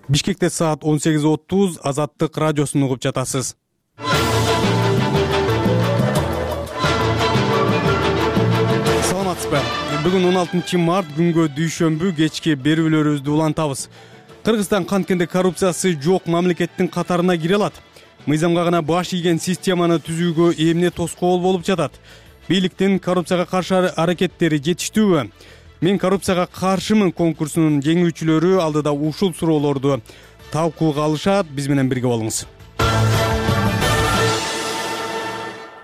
Бишкекте саат 18:30 Азаттык радиосун угуп жатасыз. Саламатсызбы? Бүгүн 16 март күнгө дүйшөмбү кечки берүүлөрүбүздү улантабыз. Кыргызстан канткенде коррупциясы жок мамлекеттин катарына кире алат. Мыйзамга гана баш ийген системаны түзүүгө эмне тоскоол болуп жатат? Бийликтин коррупцияга каршы аракеттери жетиштүүбү? Мен коррупцияга каршымын конкурсунун жеңүүчүлөрү алдыда ушул суроолорду талкууга алышат. Биз менен бирге болуңуз.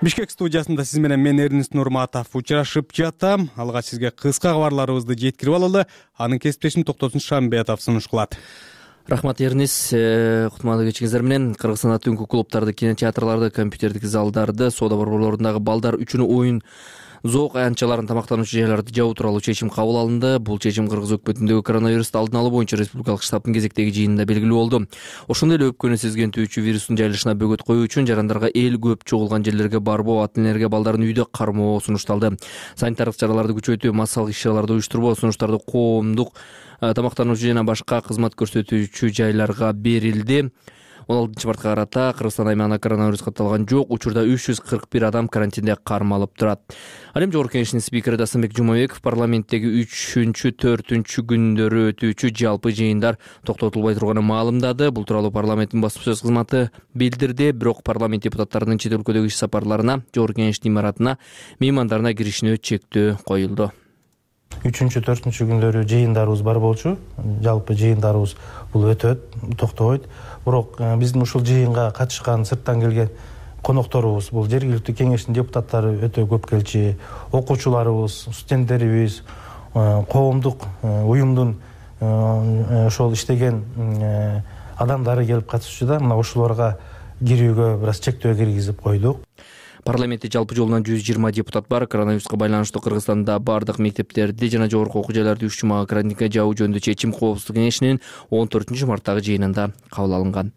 Бишкек студиясында сиз менен мен Эрнест Нурматов учурашып жатам. Алгач сизге кыска кабарларыбызды жеткирип алалы. Анын кесиптешим Токтосун Шамбетов сунуш кылат. Рахмат Эрнис, кутмандуу кечиңиздер менен. Кыргызстанда түнкү клубдарды, кинотеатрларды, компьютердик залдарды, соода борборлорундагы балдар үчүн оюн зоок аянтчаларын, тамактануучу жайларды жабуу тууралуу чечим кабыл алынды. Бул чечим Кыргыз өкмөтүндөгү коронавирусту алдын алуу боюнча республикалык штабтын кезектеги жыйынында белгилүү болду. Ошондой эле өпкөнү сезгентүүчү вирустун жайылышына бөгөт коюу үчүн жарандарга эл көп чогулган жерлерге барбоо, ата энелерге балдарын үйдө кармоо сунушталды. Санитардык чараларды күчөтүү, массалык иш-чараларды уюштурбоо, сунуштарды коомдук тамактануучу жана башка кызмат көрсөтүүчү жайларга берилди. 16 мартка карата Кыргызстан аймагында коронавирус катталган жок. Учурда 341 адам карантинде кармалып турат. Ал эми Жогорку Кеңештин спикери Дастамбек Жумабеков парламенттеги 3-4 күндөрү өтүүчү жалпы жыйындар токтотулбай турганын маалымдады. Бул тууралуу парламенттин басма сөз кызматы билдирди. Бирок парламент депутаттарынын чет өлкөдөгү иш сапарларына, Жогорку Кеңештин имаратына, меймандарына киришине чектөө коюлду. 3-4 күндөрү жыйындарыбыз бар болчу. Жалпы жыйындарыбыз бул өтөт, токтобойт. Бирок биздин ушул жыйынга катышкан сырттан келген конокторубуз, бул жергиликтүү кеңештин депутаттары өтө көп келчү. Окуучуларыбыз, студенттерибиз, коомдук уюмдун ошол иштеген адамдары келип катышчу да. Мына ушуларга кирүүгө бир аз чектөө киргизип койдук. Парламентте жалпы жолунан 120 депутат бар. Коронавируска байланыштуу Кыргызстанда бардык мектептерди жана жогорку окуу жайларды 3 жумага карантинге жабуу жөнүндө чечим Коопсуздук кеңешинин 14 марттагы жыйынында кабыл алынган.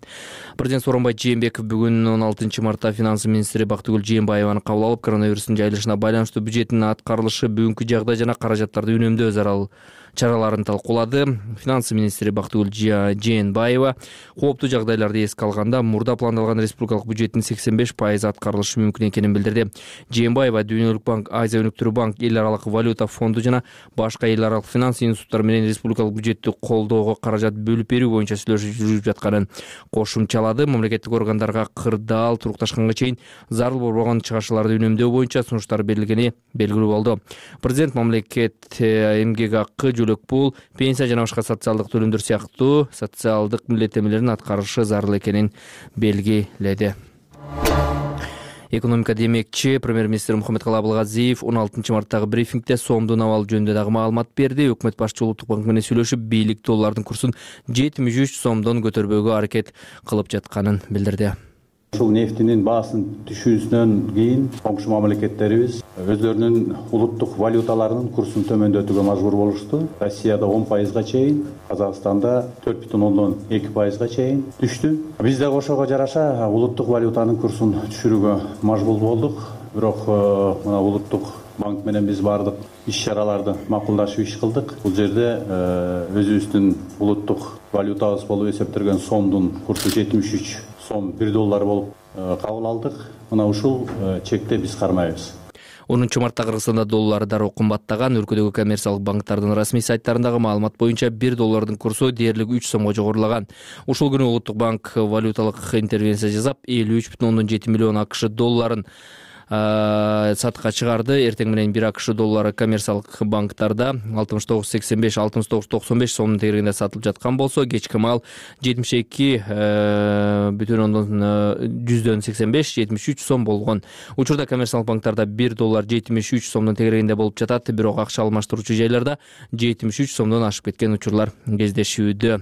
Президент Сооронбай Жээнбеков бүгүн 16 мартта финансы министри Бактыгүл Жээнбаеваны кабыл алып, коронавирустун жайылышына байланыштуу бюджеттин аткарылышы, бүгүнкү жагдай жана каражаттарды үнөмдөө зарыл чараларын талкуулады. Финансы министри Бактыгүл Жээнбаева кооптуу жагдайларды эске алганда мурда пландалган республикалык бюджеттин 85% аткарылышы мүмкүн экенин билдирди. Жээнбаева Дүйнөлүк банк, Азия өнүктүрүү банк, эл аралык валюта фонду жана башка эл аралык финанс институттары менен республикалык бюджетти колдоого каражат бөлүп берүү боюнча сүйлөшүү жүрүп жатканын кошумчалады. Мамлекеттик органдарга кырдаал турукташканга чейин зарыл болгон чыгашууларды үнөмдөө боюнча сунуштар берилгени белгилүү болду. Президент мамлекет эмгек акы, жөлөк пул, пенсия жана башка социалдык төлөмдөр сыяктуу социалдык милдеттенмелерин аткарышы зарыл экенин белгиледи. Экономика демекчи премьер-министр Мухаммедкалый Абылгазиев 16 марттагы брифингде сомдун абалы жөнүндө дагы маалымат берди. Өкмөт башчысы Улуттук банк менен сүйлөшүп, бийлик доллардын курсун 73 сомдон көтөрбөөгө аракет кылып жатканын билдирди. Ушул нефтинин баасын түшүүсүнөн кийин коңшу мамлекеттерибиз өздөрүнүн улуттук валюталарынын курсун төмөндөтүүгө мажбур болушту. Россияда 10%га чейин, Казакстанда 4,2%га чейин түштү. Биз да ошого жараша улуттук валютанын курсун түшүрүүгө мажбур болдук. Бирок мына улуттук банк менен биз бардык иш-чараларды макулдашып иш кылдык. Бул жерде өзүбүздүн улуттук валютабыз болуп эсептелген сомдун курсу 73 сом 1 доллар болуп кабыл алдык. Мына ушул чекте биз кармайбыз. 10 мартта Кыргызстанда доллар дароо кымбаттаган. Өлкөдөгү коммерциялык банктардын расмий сайттарындагы маалымат боюнча 1 доллардын курсу дээрлик 3 сомго жогорулаган. Ушул күнү Улуттук банк валюталык интервенция жасап 53,7 миллион АКШ долларын сатка чыгарды. Эртең менен 1 АКШ доллары коммерциялык банктарда 69,85, 69,95 сомдун тегерегинде сатылып жаткан болсо, кечки маал 72,85, 73 сом болгон. Учурда коммерциялык банктарда 1 доллар 73 сомдун тегерегинде болуп жатат. Бирок акча алмаштыруучу жайларда 73 сомдон ашып кеткен учурлар кездешүүдө.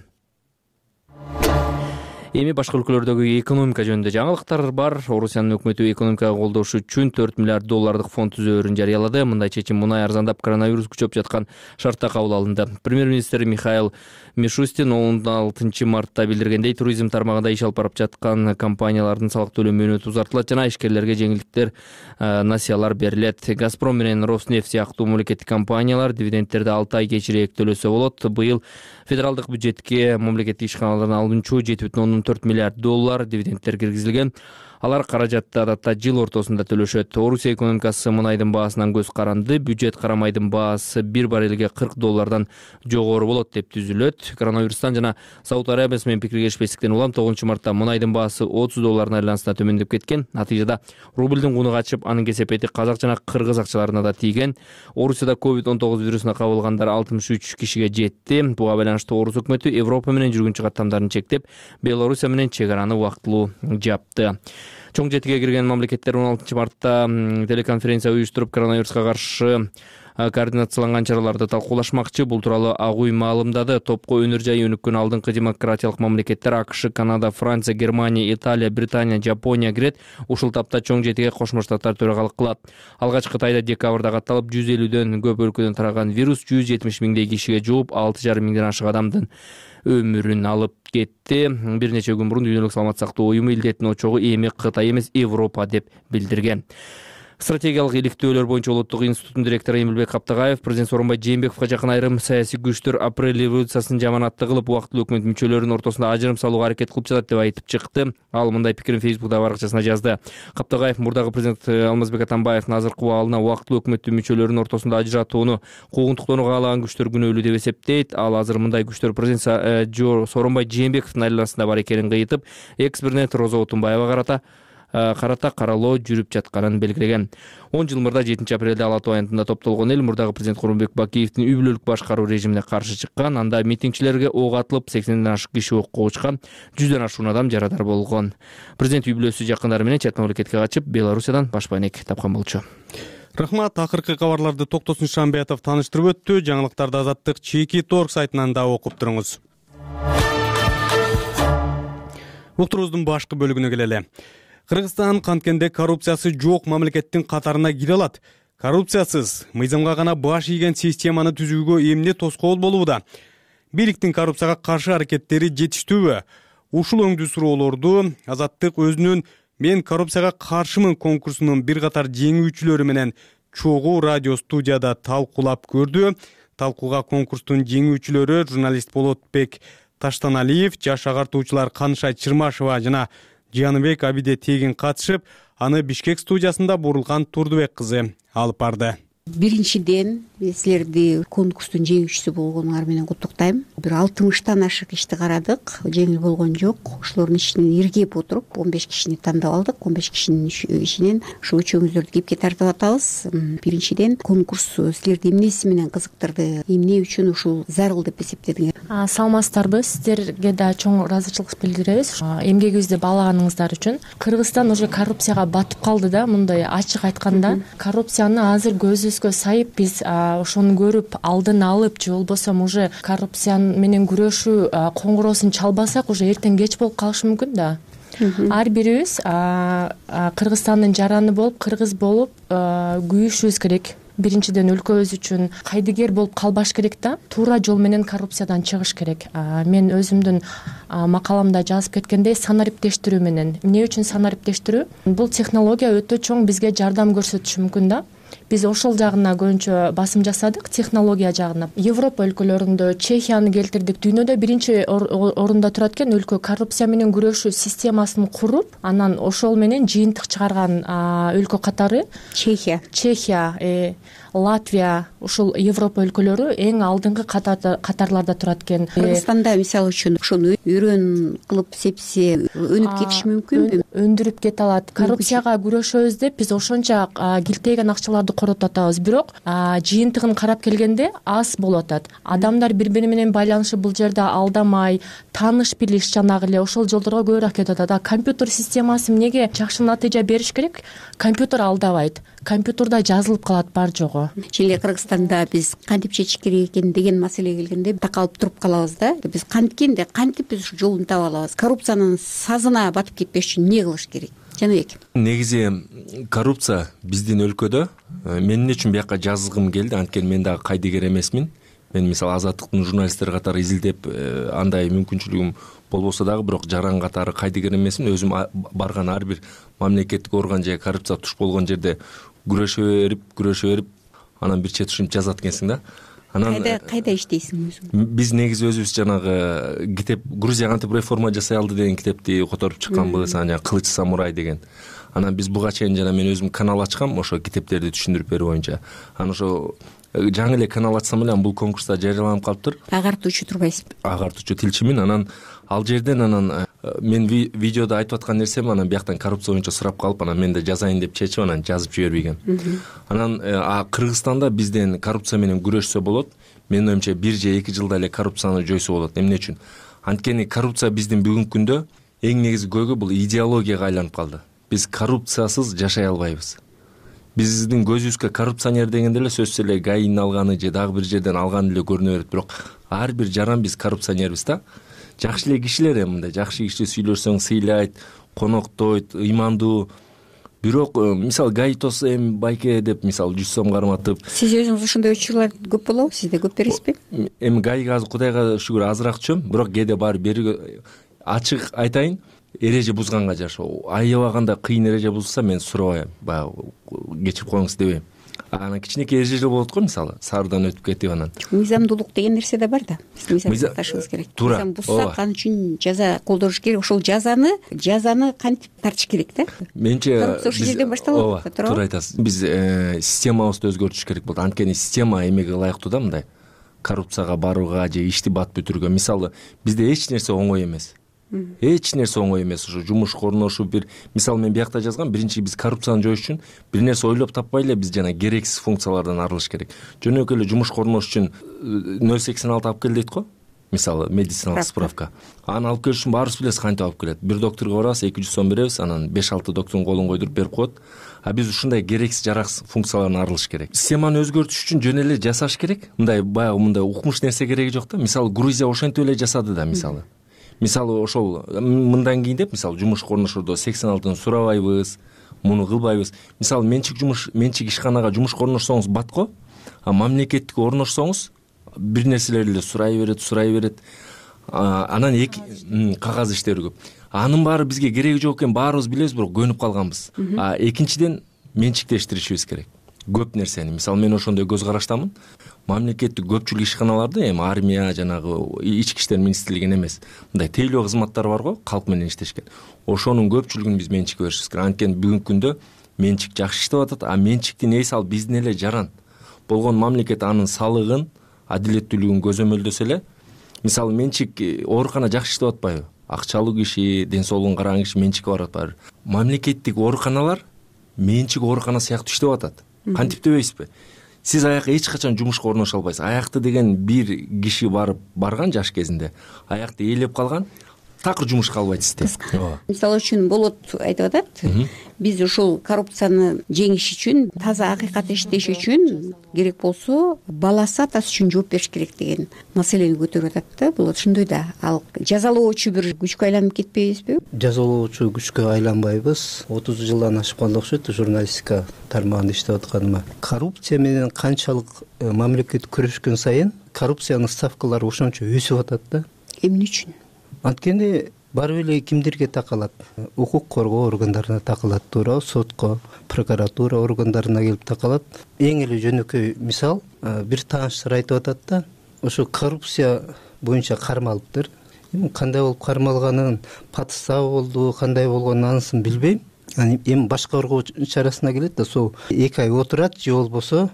Эми башка өлкөлөрдөгү экономика жөнүндө жаңылыктар бар. Орусиянын өкмөтү экономикага колдош үчүн $4 миллиард фонд түзөөрүн жарыялады. Мындай чечим мунай арзандап коронавирус күчөп жаткан шартта кабыл алынды. Премьер-министр Михаил Мишустин 16 мартта билдиргендей, туризм тармагында иш алып барып жаткан компаниялардын салык төлөө мөөнөтү узартылат жана ишкерлерге жеңилдиктер, насыялар берилет. Газпром менен Роснефть сыяктуу мамлекеттик компаниялар дивидендтерди 6 ай кечирээк төлөсө болот. Быйыл федералдык бюджетке мамлекеттик ишканалардан алынчу $7,4 миллиард дивидендтер киргизилген. Алар каражатты адатта жыл ортосунда төлөшөт. Орусия экономикасы мунайдын баасынан көз каранды. Бюджет карамайдын баасы $1 баррелге $40 жогору болот деп түзүлөт. Коронавирустан жана Сауд Арабиясы менен пикиргешпестиктен улам 9 мартта мунайдын баасы $30 айлансына төмөндөп кеткен. Натыйжада рублдун куну качып, анын кесепети казак жана кыргыз акчаларына да тийген. Орусияда COVID-19 вирусуна кабылгандар 63 кишиге жетти. Буга байланыштуу Орус өкмөтү Европа менен жүргүнчү каттамдарын чектеп, Белоруссия менен чек араны убактылуу жапты. Чоң жетиге кирген мамлекеттер 16 мартта телеконференция уюштуруп, коронавируска каршы координацияланган чараларды талкуулашмакчы. Бул тууралуу Ак үй маалымдады. Топко өнөр жайы өнүккөн алдыңкы демократиялык мамлекеттер АКШ, Канада, Франция, Германия, Италия, Британия, Жапония кирет. Ушул тапта чоң жетиге Кошмо Штаттар төрагалык кылат. Алгачкы тайда декабрда катталып, 150дөн көп өлкөдөн тараган вирус 170 миңдей кишиге жууп, 6,5 миңден ашык адамдын өмүрүн алып кетти. Бир нече күн мурун Дүйнөлүк саламат сактоо уюму илдеттин очогу эми Кытай эмес, Европа деп билдирген. Стратегиялык иликтөөлөр боюнча улуттук институттун директору Эмилбек Каптагаев президент Сооронбай Жээнбековго жакын айрым саясий күчтөр апрель революциясын жаманатты кылып, убактылуу өкмөт мүчөлөрүнүн ортосунда ажырым салууга аракет кылып жатат деп айтып чыкты. Ал мындай пикирин Фейсбуктагы баракчасына жазды. Каптагаев мурдагы президент Алмазбек Атамбаевдин азыркы абалына убактылуу өкмөттүн мүчөлөрүнүн ортосунда ажыратууну куугунтуктоону каалаган күчтөр күнөөлүү деп эсептейт. Ал азыр мындай күчтөр президент Сооронбай Жээнбековдун айланасында бар экенин кыйытып, экс-президент Роза Отунбаева карата каралоо жүрүп жатканын белгилеген. 10 жыл мурда 7 апрелде Ала Тоо аянтында топтолгон эл мурдагы президент Курманбек Бакиевдин үй бүлөлүк башкаруу режимине каршы чыккан. Анда митингчилерге ок атылып, 80ден ашык киши окко учкан, 100дөн ашуун адам жарадар болгон. Президент үй бүлөсү жакындары менен чет мамлекетке качып, Белоруссиядан баш байнек тапкан болчу. Рахмат. Акыркы кабарларды Токтосун Шамбиятов таныштырып өттү. Жаңылыктарды Азаттык Чеки.org сайтынан да окуп туруңуз. Уктуруубуздун башкы бөлүгүнө келели. Кыргызстан канткенде коррупциясы жок мамлекеттин катарына кире алат. Коррупциясыз мыйзамга гана баш ийген системаны түзүүгө эмне тоскоол болууда? Бийликтин коррупцияга каршы аракеттери жетиштүүбү? Ушул өңдүү суроолорду Азаттык өзүнүн "Мен коррупцияга каршымын" конкурсунун бир катар жеңүүчүлөрү менен чогуу радио студияда талкуулап көрдү. Талкууга конкурстун жеңүүчүлөрү журналист Болотбек Таштаналиев, жаш агартуучулар Канышай Чырмашева жана Жаныбек Абиде Тегин катышып, аны Бишкек студиясында Бурулган Турдубек кызы алып барды. Биринчиден, силерди конкурстун жеңүүчүсү болгонуңар менен куттуктайм. Бир 60тан ашык ишти карадык, жеңил болгон жок. Ошолордун ичинен иргеп отуруп 15 кишини тандап алдык. 15 кишинин ичинен ушул үчөөңүздөрдү кепке тартып атабыз. Биринчиден, конкурс силерди эмнеси менен кызыктырды? Эмне үчүн ушул зарыл деп эсептедиңер? Саламатсыздарбы? Сиздерге да чоң ыраазычылык билдиребиз эмгегибизди баалаганыңыздар үчүн. Кыргызстан уже коррупцияга батып калды да, мындай ачык айтканда. Коррупцияны азыр көзүбүзгө сайып, биз ошону көрүп, алдын алып, же болбосо уже коррупция менен күрөшүү коңгуроосун чалбасак, уже эртең кеч болуп калышы мүмкүн да. Ар бирибиз Кыргызстандын жараны болуп, кыргыз болуп күйүшүбүз керек. Биринчиден өлкөбүз үчүн кайдыгер болуп калбаш керек да, туура жол менен коррупциядан чыгыш керек. Мен өзүмдүн макаламда жазып кеткендей, санариптештирүү менен. Эмне үчүн санариптештирүү? Бул технология өтө чоң бизге жардам көрсөтүшү мүмкүн да. Биз ошол жагына көбүнчө басым жасадык, технология жагына. Европа өлкөлөрүндө Чехияны келтирдик. Дүйнөдө биринчи орунда турат экен өлкө коррупция менен күрөшүү системасын куруп, анан ошол менен жыйынтык чыгарган өлкө катары Чехия, Латвия, ушул Европа өлкөлөрү эң алдыңкы катарларда турат экен. Кыргызстанда мисалы үчүн ошону үйрөн кылып сепсе өнүп кетиши мүмкүнбү? өндүрүп кете алат. Коррупцияга күрөшөбүз деп биз ошончо килтейген акчаларды коротуп атабыз, бирок жыйынтыгын карап келгенде аз болуп атат. Адамдар бири бири менен байланышы бул жерде алдамай, тааныш билиш жанагы эле ошол жолдорго көбүрөөк кетип атат. Компьютер системасы эмнеге жакшы натыйжа бериш керек? Компьютер алдабайт. Компьютерда жазылып калат бар жогу. Чили Кыргызстанда биз кантип чечиш керек экен деген маселеге келгенде такалып туруп калабыз да. Биз кантип биз ушу жолун таба алабыз? Коррупциянын сазына батып кетпеш үчүн эмне кылыш керек? Жаныбек. Негизи коррупция биздин өлкөдө мен эмне үчүн бияка жазгым келди? Анткени мен дагы кайдыгер эмесмин. Мен мисалы Азаттыктын журналисттери катары изилдеп андай мүмкүнчүлүгүм болбосо дагы, бирок жаран катары кайдыгер эмесмин. Өзүм барган ар бир мамлекеттик орган же коррупция туш болгон жерде күрөшө берип анан бир чет ушинтип жазат экенсиң да. Анан кайда иштейсиң өзүң? Биз негизи өзүбүз жанагы китеп Грузия кантип реформа жасай алды деген китепти которуп чыкканбыз, анан Кылыч самурай деген. Анан биз буга чейин жана мен өзүм канал ачкам ошо китептерди түшүндүрүп берүү боюнча. Анан ошо жаңы эле канал ачсам эле бул конкурста жарыяланып калыптыр. Агартуучу турбайсызбы? Агартуучу тилчимин. Анан ал жерден мен видеодо айтып аткан нерсем анан бияктан коррупция боюнча сурап калып, анан мен да жазайын деп чечип анан жазып жибербегем. Анан Кыргызстанда бизден коррупция менен күрөшсө болот. Менин оюмча 1 же 2 жылда эле коррупцияны жойсо болот. Эмне үчүн? Анткени коррупция биздин бүгүнкү күндө эң негизги көйгөй бул идеологияга айланып калды. Биз коррупциясыз жашай албайбыз. Биздин көзүбүзгө коррупционер дегенде эле сөзсүз эле ГАИнин алганы же дагы бир жерден алганы эле көрүнө берет. Бирок ар бир жаран биз коррупционербиз да. Жакшы эле кишилер мындай жакшы киши сүйлөшсөң сыйлайт, коноктойт, ыймандуу. Бирок мисалы ГАИ эми байке деп мисалы 100 сом карматып. Сиз өзүңүз ошондой учурлар көп болобу? Сизде көп бересизби? Эми ГАИга азыр Кудайга шүгүр азыраак түшөм, бирок кээде баары бери ачык айтайын, эреже бузганга жараша. Аябаганда кыйын эреже бузулса мен сурабайм, баягы кечирип коюңуз дебейм. Анан кичинекей эрежелер болот го, мисалы саардан өтүп кетип анан. Мыйзамдуулук деген нерсе да бар да. Мыйзам сакташыбыз керек. Мыйзам бузсак ал үчүн жаза колдоnuш керек. Ошол жазаны кантип тартыш керек да? Менче коррупция ошол жерден башталат, туура. Туура айтасыз. Биз системабызды өзгөртүш керек болот. Анткени система эмеге ылайыктуу да мындай коррупцияга барууга же ишти бат бүтүрүүгө. Мисалы бизде эч нерсе оңой эмес. Эч нерсе оңой эмес. Ушу жумушка орношуп бир мисалы мен биякта жазгам, биринчи биз коррупцияны жоюш үчүн бир нерсе ойлоп таппай эле биз жана керексиз функциялардан арылыш керек. Жөнөкөй эле жумушка орношуш үчүн 086 алып кел дейт го. Мисалы медициналык справка. Аны алып келиш үчүн баарыбыз билебиз кантип алып келет. Бир докторго барабыз, 200 сом беребиз, анан 5-6 доктордун колун койдуруп берип коет. А биз ушундай керексиз жараксыз функциялардан арылыш керек. Системаны өзгөртүш үчүн жөн эле жасаш керек. Мындай баягы мындай укмуш нерсе кереги жок да. Мисалы Грузия ошентип эле жасады да мисалы. Мисалы ошол мындан кийин деп мисалы жумушка орношуурда 86-ын сурабайбыз, муну кылбайбыз. Мисалы менчик ишканага жумушка орношсоңуз батко, а мамлекеттикке орношсоңуз бир нерселерди сурай берет. Анан кагаз иштери көп. Анын баары бизге кереги жок экен, баарыбыз билебиз, бирок көнүп калганбыз. Экинчиден менчиктештиришибиз керек. Көп нерсени. Мисалы мен ошондой көз караштамын. Мамлекеттик көпчүлүк ишканаларды эми армия жанагы ички иштер министрлигин эмес, мындай тейлөө кызматтар бар го, калк менен иштешкен. Ошонун көпчүлүгүн биз менчикке беришибиз керек. Анткени бүгүнкү күндө менчик жакшы иштеп атат, а менчиктин ээси ал биздин эле жаран болгон мамлекет анын салыгын, адилеттүүлүгүн көзөмөлдөсө эле, мисалы менчик оорукана жакшы иштеп атпайбы? Акчалуу киши, ден соолугун караган киши менчикке барат баары. Мамлекеттик ооруканалар менчик оорукана сыяктуу иштеп атат. Кантип дебейсизби? Сиз аяка эч качан жумушка орношо албайсыз. Аякты деген бир киши барган жаш кезинде, аякты ээлеп калган, такыр жумушка албайт сизди. Мисалы үчүн болот айтып атат. Биз ушул коррупцияны жеңиш үчүн, таза акыйкат иштеш үчүн керек болсо баласы атасы үчүн жооп бериш керек деген маселени көтөрүп атат да. Болот ошондой да. Ал жазалоочу бир күчкө айланып кетпейбизби? Жазалоочу күчкө айланбайбыз. 30 жылдан ашып калды окшойт журналистика тармагында иштеп атканыма. Коррупция менен канчалык мамлекет күрөшкөн сайын коррупциянын ставкалары ошончо өсүп атат да. Эмне үчүн? Анткени барып эле кимдерге такалат? Укук коргоо органдарына такалат, туура, сотко, прокуратура органдарына келип такалат. Эң эле жөнөкөй мисал, бир тааныштар айтып атат да, ошо коррупция боюнча кармалыптыр. Кандай болуп кармалганын, подстава болду, кандай болгонун анысын билбейм. Эми баш коргоо чарасына келет да, сол 2 ай отурат же болбосо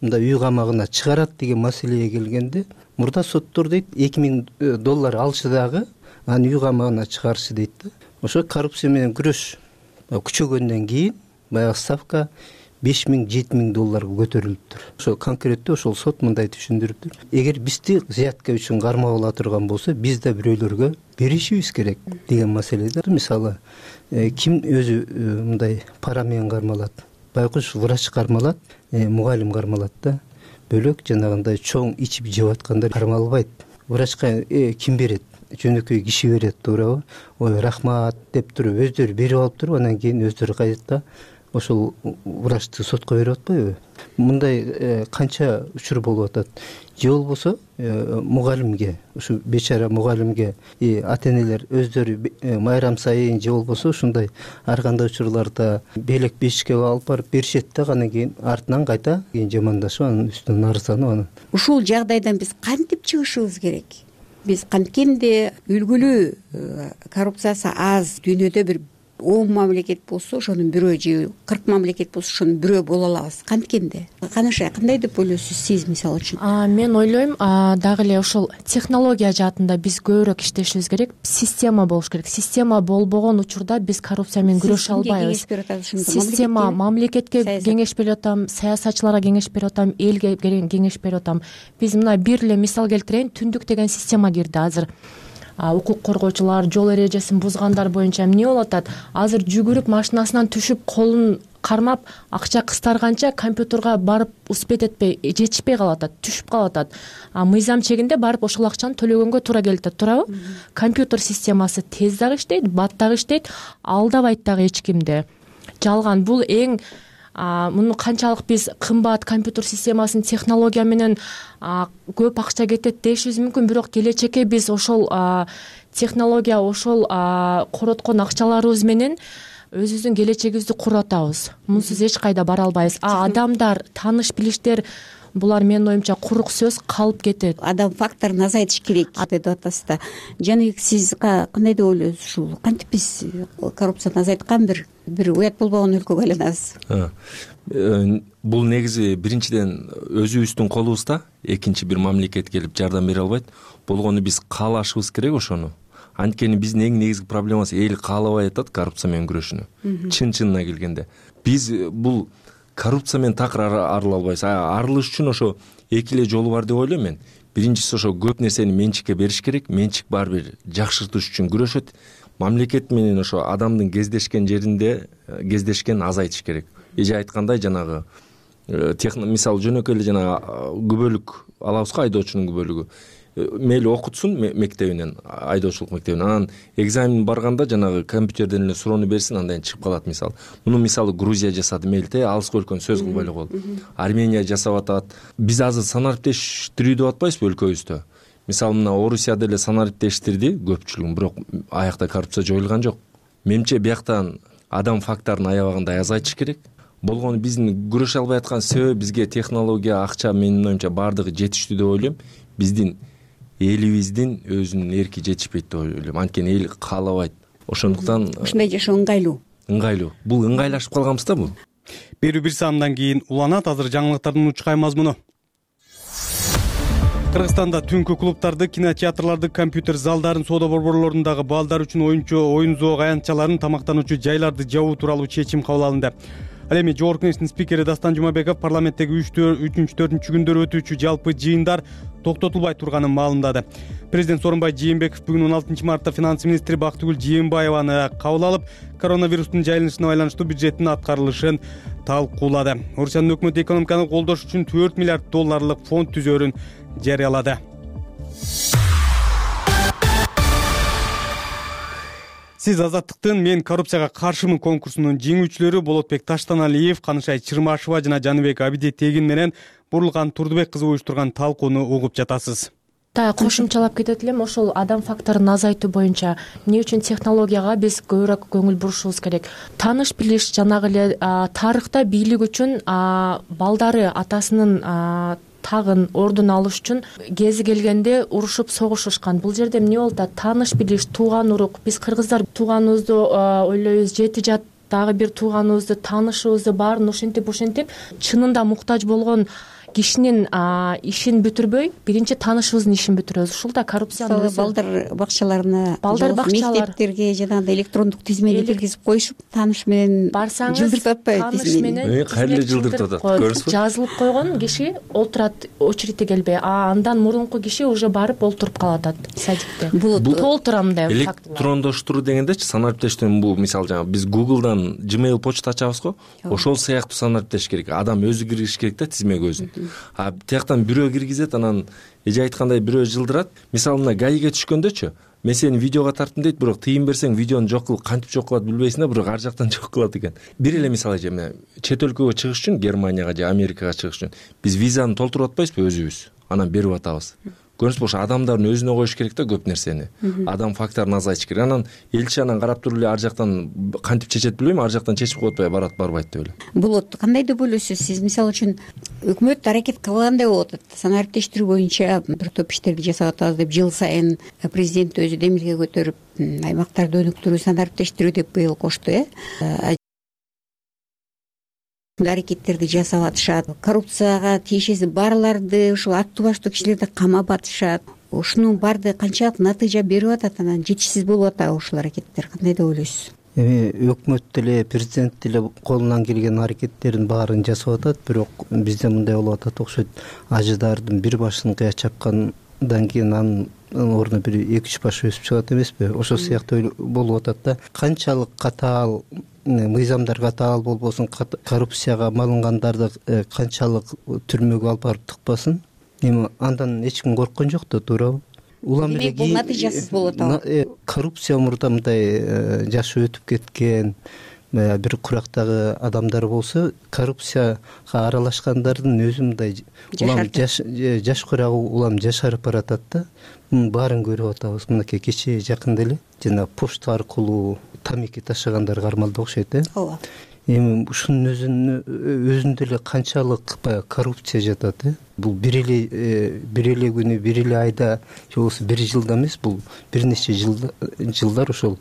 мындай үй камагына чыгарат деген маселеге келгенде, мурда соттор дейт $2000 алышы дагы аны үй камагына чыгарышы дейт да. ошо коррупция менен күрөш күчөгөндөн кийин баягы ставка $5,000–7,000 көтөрүлүптүр. Ошо конкреттүү ошол сот мындай түшүндүрүптүр: эгер бизди взятка үчүн кармап ала турган болсо, биз да бирөөлөргө беришибиз керек деген маселеде. Мисалы, ким өзү мындай пара менен кармалат? Байкуш врач кармалат, мугалим кармалат да. Бөлөк жанагындай чоң ичип жеп аткандар кармалбайт. Врачка ким берет? Жөнөкөй киши берет, туурабы? Ой, рахмат деп туруп өздөрү берип алып туруп, анан кийин өздөрү кайтат да ошол врачты сотко берип атпайбы? Мындай канча учур болуп атат. Же болбосо мугалимге, ушу бечара мугалимге ата-энелер өздөрү майрам сайын же болбосо ушундай ар кандай учурларда белек бешикке алып барып беришет да, анан кийин артынан кайта жамандашып, анын үстүнөн арызданып, анан ушул жагдайдан биз кантип чыгышыбыз керек? Биз канткенде үлгүлүү коррупциясы аз дүйнөдө бир 10 мамлекет болсо, ошонун бирөө же 40 мамлекет болсо, ошонун бирөө боло алабыз. Канткенде канаша кандай деп ойлойсуз сиз, мисалы үчүн? Мен ойлойм, дагы эле ошол технология жаатында биз көбүрөөк иштешибиз керек. Система болуш керек. Система болбогон учурда биз коррупция менен күрөшө албайбыз. Система мамлекетке кеңеш берип атам, саясатчыларга кеңеш берип атам, элге кеңеш берип атам. Биз мына бир эле мисал келтирейин. Түндүк деген система кирди азыр. Укук коргоочулар жол эрежесин бузгандар боюнча эмне болуп атат? Азыр жүгүрүп машинасынан түшүп, колун кармап, акча кыстарганча компьютерга барып успеть этпей, жетишпей калып атат, түшүп калып атат. Мыйзам чегинде барып ошол акчаны төлөгөнгө туура келип атат, туурабы? Компьютер системасы тез дагы иштейт, бат дагы иштейт, алдабайт дагы эч кимди. Жалган бул эң муну канчалык биз кымбат компьютер системасын технология менен көп акча кетет дешибиз мүмкүн, бирок келечекке биз ошол технология, ошол короткон акчаларыбыз менен өзүбүздүн келечегибизди куруп атабыз. Мунсуз эч кайда бара албайбыз. Адамдар, тааныш билиштер, булар менин оюмча курук сөз, калып кетет. Адам факторун азайтыш керек деп атасыз да. Жаныбек, сиз кандай деп ойлойсуз ушул? Кантип биз коррупцияны азайткан бир уят болбогон өлкөгө айланабыз? Бул негизи биринчиден өзүбүздүн колубузда, экинчи бир мамлекет келип жардам бере албайт. Болгону биз каалашыбыз керек ошону. Анткени биздин эң негизги проблемасы эл каалабай атат коррупция менен күрөшүүнү. Чын-чынына келгенде биз бул коррупция менен такыр арыла албайбыз. Арылыш үчүн ошо эки эле жолу бар деп ойлойм мен. Биринчиси ошо көп нерсени менчикке бериш керек. Менчик баары бир жакшыртыш үчүн күрөшөт. Мамлекет менен ошо адамдын кездешкен жеринде кездешкен азайтыш керек. Эже айткандай жанагы мисалы жөнөкөй эле жанагы күбөлүк алабызго, айдоочунун күбөлүгү. Мейли окутсун мектебинен, айдоочулук мектебинен, анан экзамен барганда жанагы компьютерден эле суроону берсин, андан чыгып калат мисалы. Муну мисалы Грузия жасады, мейли алыскы өлкөнү сөз кылбай эле коелу. Армения жасап атат. Биз азыр санариптештирүү деп атпайбызбы өлкөбүздө? Мисалы мына Орусияда эле санариптештирди көпчүлүгүн, бирок аякта коррупция жоюлган жок. Менимче бияктан адам факторун аябагандай азайтыш керек. Болгону биздин күрөшө албай аткан себеби бизге технология, акча, менин оюмча баардыгы жетиштүү деп ойлойм. Биздин элибиздин өзүнүн эрки жетишпейт деп ойлойм. Анткени эл каалабайт. Ошондуктан ушундай жашоо ыңгайлуу. Бул ыңгайлашып калганбыз да бул. Берүү бир саамдан кийин уланат. Азыр жаңылыктардын учкай мазмуну. Кыргызстанда түнкү клубдарды, кинотеатрларды, компьютер залдарын, соода борборлорундагы балдар үчүн оюн зоок аянтчаларын, тамактануучу жайларды жабуу тууралуу чечим кабыл алынды. Ал эми Жогорку Кеңештин спикери Дастан Жумабеков парламенттеги 3-4 күндөр өтүүчү жалпы жыйындар токтотулбай турганын маалымдады. Президент Сооронбай Жээнбеков бүгүн 16 мартта финанс министри Бактыгүл Жээнбаеваны кабыл алып, коронавирустун жайылышына байланыштуу бюджеттин аткарылышын талкуулады. Орусиянын өкмөтү экономиканы колдош үчүн $4 миллиард фонд түзөөрүн жарыялады. Сиз Азаттыктын «Мен коррупцияга каршымын» конкурсунун жеңүүчүлөрү Болотбек Таштаналиев, Канышай Чырмашева жана Жаныбек Абиди Тегин менен Бурлган Турдубек кызы уюштурган талкууну угуп жатасыз. Кошумчалап кетет элем, ошол адам факторун азайтуу боюнча эмне үчүн технологияга биз көбүрөөк көңүл бурушубуз керек. Тааныш билиш, жанагы эле тарыхта бийлик үчүн балдары атасынын тагын ордун алыш үчүн кези келгенде урушуп согушушкан. Бул жерде эмне болуп атат? Тааныш билиш, тууган урук. Биз кыргыздар тууганыбызды ойлойбуз, жети жат дагы бир тууганыбызды, таанышыбызды баарын ушинтип чынында муктаж болгон кишинин ишин бүтүрбөй биринчи таанышыбыздын ишин бүтүрөбүз. Ушул да коррупциянын мисалы балдар бакчаларына, мектептерге жанагындай электрондук тизмени киргизип коюшуп, тааныш менен барсаңыз жылдыртып атпайбы тааныш менен кайра эле жылдыртып атат, көрдүңүзбү? Жазылып койгон киши олтурат, очередьте келбей, андан мурунку киши уже барып олтуруп калып атат садикте. Бул толтура мындай факт. Электрондоштуруу дегендечи санариптештирүү бул мисалы жаңы биз Google'дан Gmail почта ачабыз го, ошол сыяктуу санариптеш керек. Адам өзү киргизиш керек да тизмеге өзүн. Тияктан бирөө киргизет, анан эже айткандай бирөө жылдырат. Мисалы мына гаиге түшкөндөчү, мен сени видеого тарттым дейт, бирок тыйын берсең видеону жок кылып кантип жок кылат билбейсиң да, бирок ар жактан жок кылат экен. Бир эле мисал эже, мына чет өлкөгө чыгыш үчүн, Германияга же Америкага чыгыш үчүн биз визаны толтуруп атпайбызбы өзүбүз, анан берип атабыз. Көрүңүзбү, ошо адамдардын өзүнө коюш керек да көп нерсени. Адам факторун азайтыш керек. Анан элчи анан карап туруп эле ар жактан кантип чечет билбейм, ар жактан чечип коюп атпай барат, барбайт деп эле. Болот. Кандай деп ойлойсуз сиз? Мисалы үчүн өкмөт аракет кылгандай болуп атат. Санариптештирүү боюнча бир топ иштерди жасап атабыз деп жыл сайын президент өзү демилге көтөрүп, аймактарды өнүктүрүү, санариптештирүү деп быйыл кошту, аракеттерди жасап атышат. Коррупцияга тиешеси барларды, ушул аттуу баштуу кишилерди камап атышат. Ушунун баардыгы канчалык натыйжа берип атат, анан жетишсиз болуп атабы ушул аракеттер? Кандай деп ойлойсуз? Өкмөт деле, президент деле колунан келген аракеттерин баарын жасап атат, бирок бизде мындай болуп атат окшойт. Ажыдардын бир башын кыя чапкандан кийин анын ордуна бир 2-3 баш өсүп чыгат эмеспи? Ошол сыяктуу болуп атат да. Канчалык катаал мыйзамдар катаал болбосун, коррупцияга малынгандарды канчалык түрмөгө алып барып тыкпасын, эми андан эч ким корккон жок да, туурабы? Улам эле бул натыйжасыз болуп атабы? Коррупция мурда мындай жашы өтүп кеткен бир курактагы адамдар болсо, коррупцияга аралашкандардын өзү мындай улам жашкырагы улам жашарып баратат да. Мунун баарын көрүп атабыз. Мынакей кечээ жакында эле жана почта аркылуу тамеки ташыгандар кармалды окшойт, ооба. Эми ушунун өзүндө эле канчалык баягы коррупция жатат, Бул бир эле күнү, бир эле айда, же болбосо бир жылда эмес, бул бир нече жылдар ошол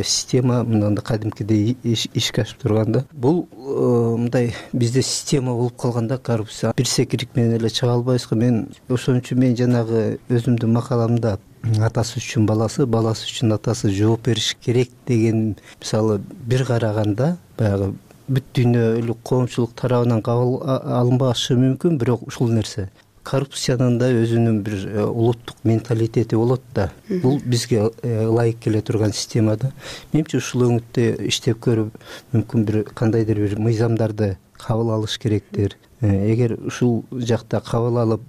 система мындай кадимкидей ишке ашып турганда. Бул мындай бизде система болуп калганда коррупция. Бир секирик менен эле чыга албайбызго. Мен ошон үчүн мен жанагы өзүмдүн макаламда атасы үчүн баласы, баласы үчүн атасы жооп бериш керек деген мисалы бир караганда баягы бүт дүйнөлүк коомчулук тарабынан кабыл алынбашы мүмкүн, бирок ушул нерсе коррупциянын да өзүнүн бир улуттук менталитети болот да. Бул бизге ылайык келе турган система да. Менимче ушул өңүттө иштеп көрүп, мүмкүн бир кандайдыр бир мыйзамдарды кабыл алыш керектир. Эгер ушул жакта кабыл алып,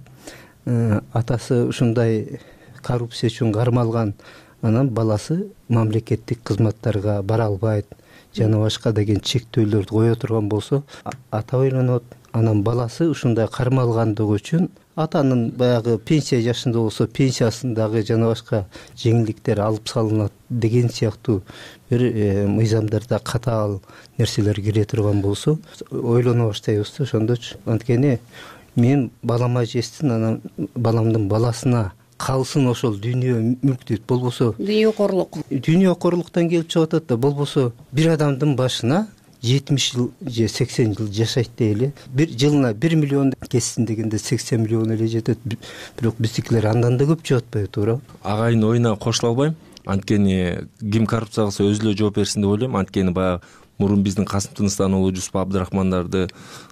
атасы ушундай коррупция үчүн кармалган, анан баласы мамлекеттик кызматтарга бара албайт, жана башка деген чектөөлөрдү кое турган болсо, ата ойлонот. Анан баласы ушундай кармалгандыгы үчүн атанын баягы пенсия жашында болсо пенсиясындагы жана башка жеңилдиктер алып салынат деген сыяктуу бир мыйзамдарда катаал нерселер кире турган болсо ойлоно баштайбыз да ошондочу. Анткени мен балама жестин, анан баламдын баласына калсын ошол дүйнө мүлктү, болбосо дүйнөкорлуктан келип чыгып атат да, болбосо бир адамдын башына 70 жыл же 80 жыл жашайт дейли. Бир жылына 1 миллион кетсин дегенде 80 миллион эле жетет. Бирок биздикилер андан да көп жеп атпайбы, туура? Агайын оюна кошула албайм. Анткени ким коррупция кылса өзү эле жооп берсин деп ойлойм. Анткени баягы мурун биздин Касым Тыныстануулу, Жусуп Абдрахмандарды,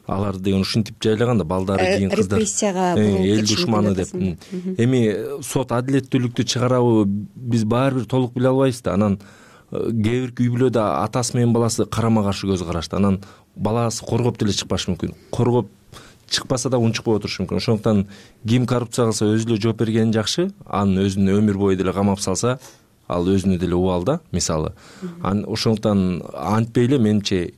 аларды деген ушинтип жайлаган да, балдары кийин кыздар репрессияга эл душманы деп. Эми сот адилеттүүлүктү чыгарабы биз баары бир толук биле албайбыз да. Анан кээ бир үй бүлөдө атасы менен баласы карама каршы көз карашты. Анан баласы коргоп деле чыкпашы мүмкүн. Коргоп чыкпаса да унчукпай отурушу мүмкүн. Ошондуктан ким коррупция кылса өзү эле жооп бергени жакшы. Анын өзүн өмүр бою деле камап салса, ал өзүнө деле убал да, мисалы. Ошондуктан антпей эле менимче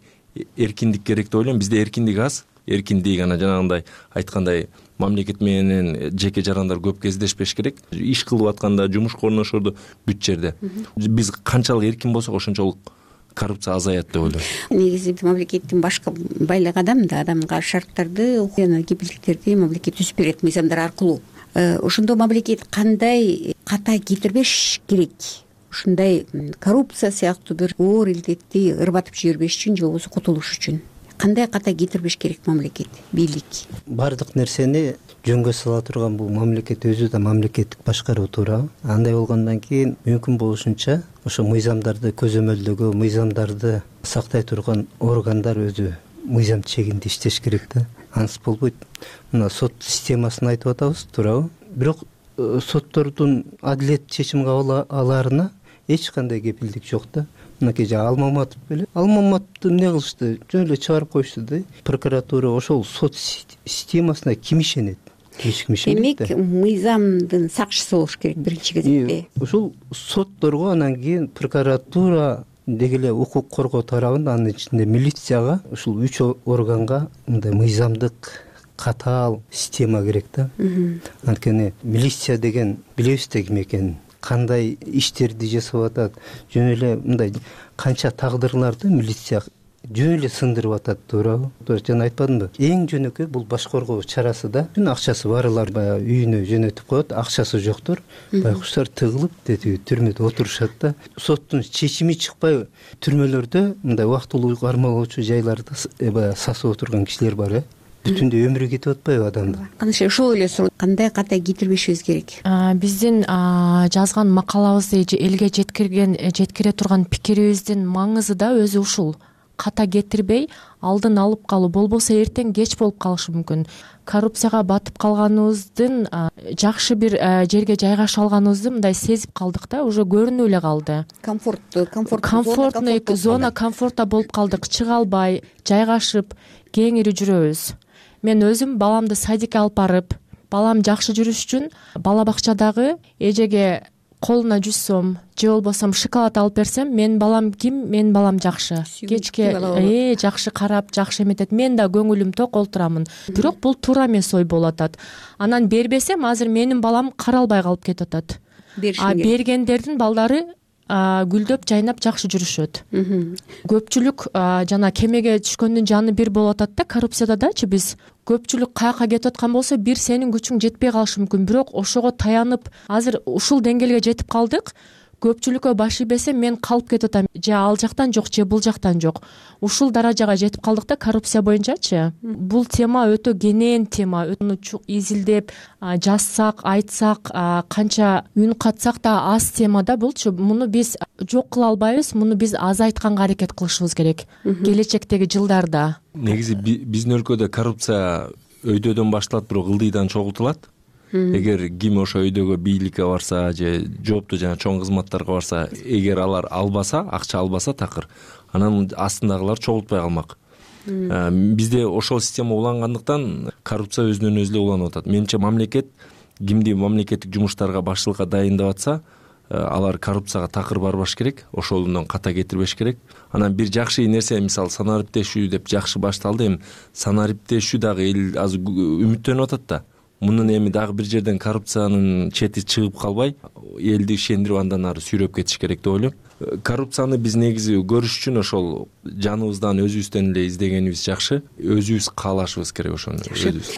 эркиндик керек деп ойлойм. Бизде эркиндик аз. Эркиндик анан жанагындай айткандай мамлекет менен жеке жарандар көп кездешпеш керек. Иш кылып атканда, жумушка орношорду бүт жерде. Биз канчалык эркин болсок, ошончолук коррупция азаят деп ойлойм. Негизи мамлекеттин башкы байлыгы адамга шарттарды жана кепилдиктерди мамлекет түзүп берет мыйзамдар аркылуу. Ошондо мамлекет кандай ката кетирбеш керек? Ушундай коррупция сыяктуу бир оор илдетти ырбатып жибербеш үчүн же болбосо кутулуш үчүн кандай ката кетирбеш керек мамлекет, бийлик? Баардык нерсени жөнгө сала турган бул мамлекет өзү да мамлекеттик башкаруу туурабы. Андай болгондон кийин мүмкүн болушунча ошо мыйзамдарды көзөмөлдөгө, мыйзамдарды сактай турган органдар өзү мыйзам чегинде иштеш керек да. Ансыз болбойт. Мына сот системасын айтып атабыз, туурабы? Бирок соттордун адилет чечим кабыл алаарына эч кандай кепилдик жок да. Мынакей Алмаматов беле. Алмаматовду эмне кылышты? Жөн эле чыгарып коюшту да. Прокуратура ошол сот системасына ким ишенет? Эч ким ишенбейт да. Демек, мыйзамдын сакчысы болуш керек биринчи кезекте. Ушул сотторго, анан кийин прокуратура деги эле укук коргоо тарабында, анын ичинде милицияга, ушул 3 органга мындай мыйзамдык катаал система керек да. Анткени милиция деген билебиз да ким экенин, кандай иштерди жасап атат. Жөн эле мындай канча тагдырларды милиция жөн эле сындырып атат, туурабы? Жана айтпадымбы? Эң жөнөкөй бул баш коргоо чарасы да. Бүт акчасы барлар баягы үйүнө жөнөтүп коет, акчасы жоктор, байкуштар тыгылып детип түрмөдө отурушат да. Соттун чечими чыкпай түрмөлөрдө мындай убактылуу кармалоочу жайларда баягы сасып отурган кишилер бар, бүтүндөй өмүрү кетип атпайбы адамдын? Кандай ошол эле суроо, кандай ката кетирбешибиз керек? Биздин жазган макалабызды элге жеткире турган пикирибиздин маңызы да өзү ушул. Ката кетирбей алдын алып калуу, болбосо эртең кеч болуп калышы мүмкүн. Коррупцияга батып калганыбыздын, жакшы бир жерге жайгаша алганыбызды мындай сезип калдык да, уже көрүнүп эле калды. Комфортный зона комфорта болуп калдык, чыга албай, жайгашып, кеңири жүрөбүз. Мен өзүм баламды садикке алып барып, балам жакшы жүрүш үчүн бала бакчадагы эжеге колуна 100 сом же болбосо шоколад алып берсем, менин балам ким? Менин балам жакшы. Кечке жакшы карап, жакшы эметет. Мен да көңүлүм ток олтурамын. Бирок бул туура эмес ой болуп атат. Анан бербесем, азыр менин балам каралбай калып кетип атат. Бергендердин балдары гүлдөп, жайнап жакшы жүрүшөт. Көпчүлүк жана кемеге түшкөндүн жаны бир болуп атат да, коррупцияда дачы биз көпчүлүк каяка кетип аткан болсо, бир сенин күчүң жетпей калышы мүмкүн, бирок ошого таянып, азыр ушул деңгээлге жетип калдык. Көпчүлүккө баш ийбесем, мен калып кетип атам. Же ал жактан жок, же бул жактан жок. Ушул даражага жетип калдык да коррупция боюнчачы. Бул тема өтө кенен тема. Аны изилдеп, жазсак, айтсак, канча үн катсак да аз тема да булчу. Муну биз жок кыла албайбыз, муну биз азайтканга аракет кылышыбыз керек келечектеги жылдарда. Негизи биздин өлкөдө коррупция өйдөдөн башталат, бирок ылдыйдан чогултулат. Эгер ким ошо өйдөгө бийликке барса же жооптуу жана чоң кызматтарга барса, эгер алар албаса, акча албаса такыр, анан астындагылар чогултпай калмак. Бизде ошол система улангандыктан коррупция өзүнөн өзү эле уланып атат. Менимче мамлекет кимди мамлекеттик жумуштарга башчылыкка дайындап атса, алар коррупцияга такыр барбаш керек, ошолдон ката кетирбеш керек. Анан бир жакшы нерсе, мисалы санариптешүү деп жакшы башталды, эми санариптешүү дагы эл азыр үмүттөнүп атат да. Мунун эми дагы бир жерден коррупциянын чети чыгып калбай, элди ишендирип андан ары сүйрөп кетиш керек деп ойлойм. Коррупцияны биз негизи көрүш үчүн ошол жаныбыздан, өзүбүздөн эле издегенибиз жакшы. Өзүбүз каалашыбыз керек ошону.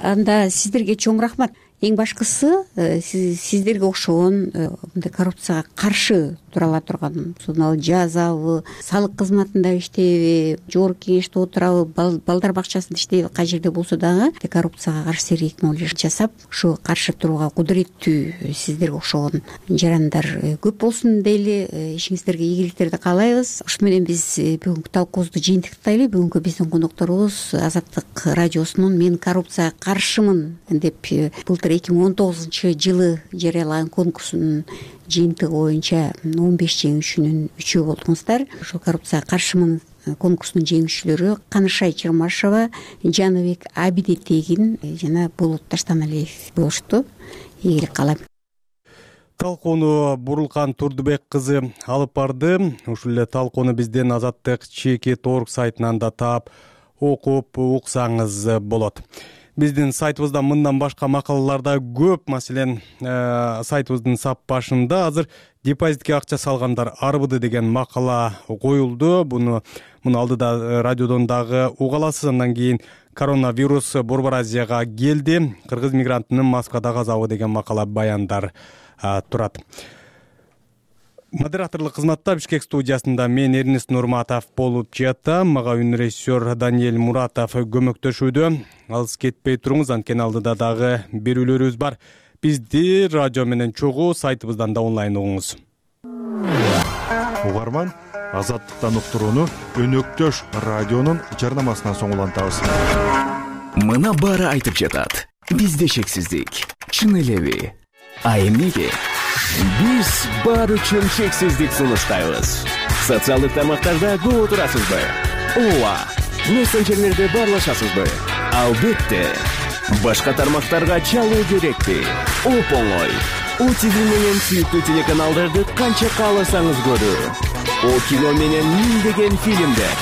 Анда сиздерге чоң рахмат. Эң башкысы, сиздерге окшогон мындай коррупцияга каршы тура ала турган, сонун жазабы, салык кызматында иштейби, жогорку кеңеште отурабы, балдар бакчасында иштейби, кай жерде болсо дагы коррупцияга каршы сергек жасап, ушу каршы турууга кудуреттүү сиздерге окшогон жарандар көп болсун дейли. Ишиңиздерге ийгиликтерди каалайбыз. Ушу менен биз бүгүнкү талкуубузду жыйынтыктайлы. Бүгүнкү биздин конокторубуз Азаттык радиосунун "Мен коррупцияга каршымын" деп былтыр 2019-жылы жарыялаган конкурсунун жыйынтыгы боюнча 15 жеңүүчүнүн 3-өө болдуңуздар. Ошол коррупцияга каршымын конкурсунун жеңүүчүлөрү Канышай Чырмашева, Жаныбек Абидетегин жана Болот Таштаналиев болушту. Ийгилик каалайм. Талкууну Бурулкан Турдубек кызы алып барды. Ушул эле талкууну биздин Азаттык ЧК.org сайтынан да таап, окуп уксаңыз болот. Биздин сайтыбызда мындан башка макалалар да көп. Маселен, сайтыбыздын сап башында азыр депозитке акча салгандар арбыды деген макала коюлду. Муну алдыда радиодон дагы уга аласыз. Андан кийин коронавирус Борбор Азияга келди, кыргыз мигрантынын Москвада казабы деген макала баяндар турат. Модераторлук кызматта Бишкек студиясында мен Эрнест Нурматов болуп жатам. Мага үнрежиссер Даниэль Муратов көмөктөшүүдө. Алыс кетпей туруңуз, анткени алдыда дагы берүүлөрүбүз бар. Бизди радио менен чогуу сайтыбыздан да онлайн угуңуз. Угарман, Азаттыктан уктурууну Өнөктөш радионун жарнамасынан соң улантабыз. Мына баары айтып жатат. Бизде шексиздик. Чын элеби? А эмнеге? Биз бар үчүн шексиздик сунуштайбыз. Социалдык тармактарда көп турасызбы? Ооба. Мессенджерлерде барлашасызбы? Албетте. Башка тармактарга чалуу керекпи? Оп-оңой. ОТВ менен сүйүктүү телеканалдарды канча кааласаңыз көрүү. О кино менен миңдеген фильмдер.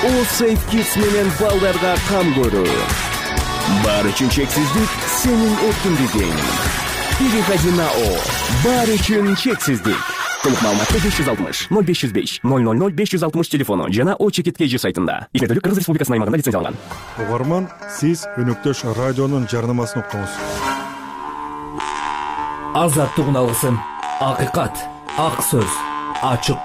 О Safe Kids менен балдарга кам көрүү. Бар үчүн чексиздик сенин эркиндигиң. Переходи на О. Бар үчүн чексиздик. Толук маалыматты 560 0505 000 560 телефону жана О Чекиткейжи сайтында. Ишмердүүлүк Кыргыз Республикасынын аймагында лицензияланган. Угарман, сиз Өнөктөш радионун жарнамасын уктуңуз. Азаттык уналгысын. Акыйкат, ак сөз, ачык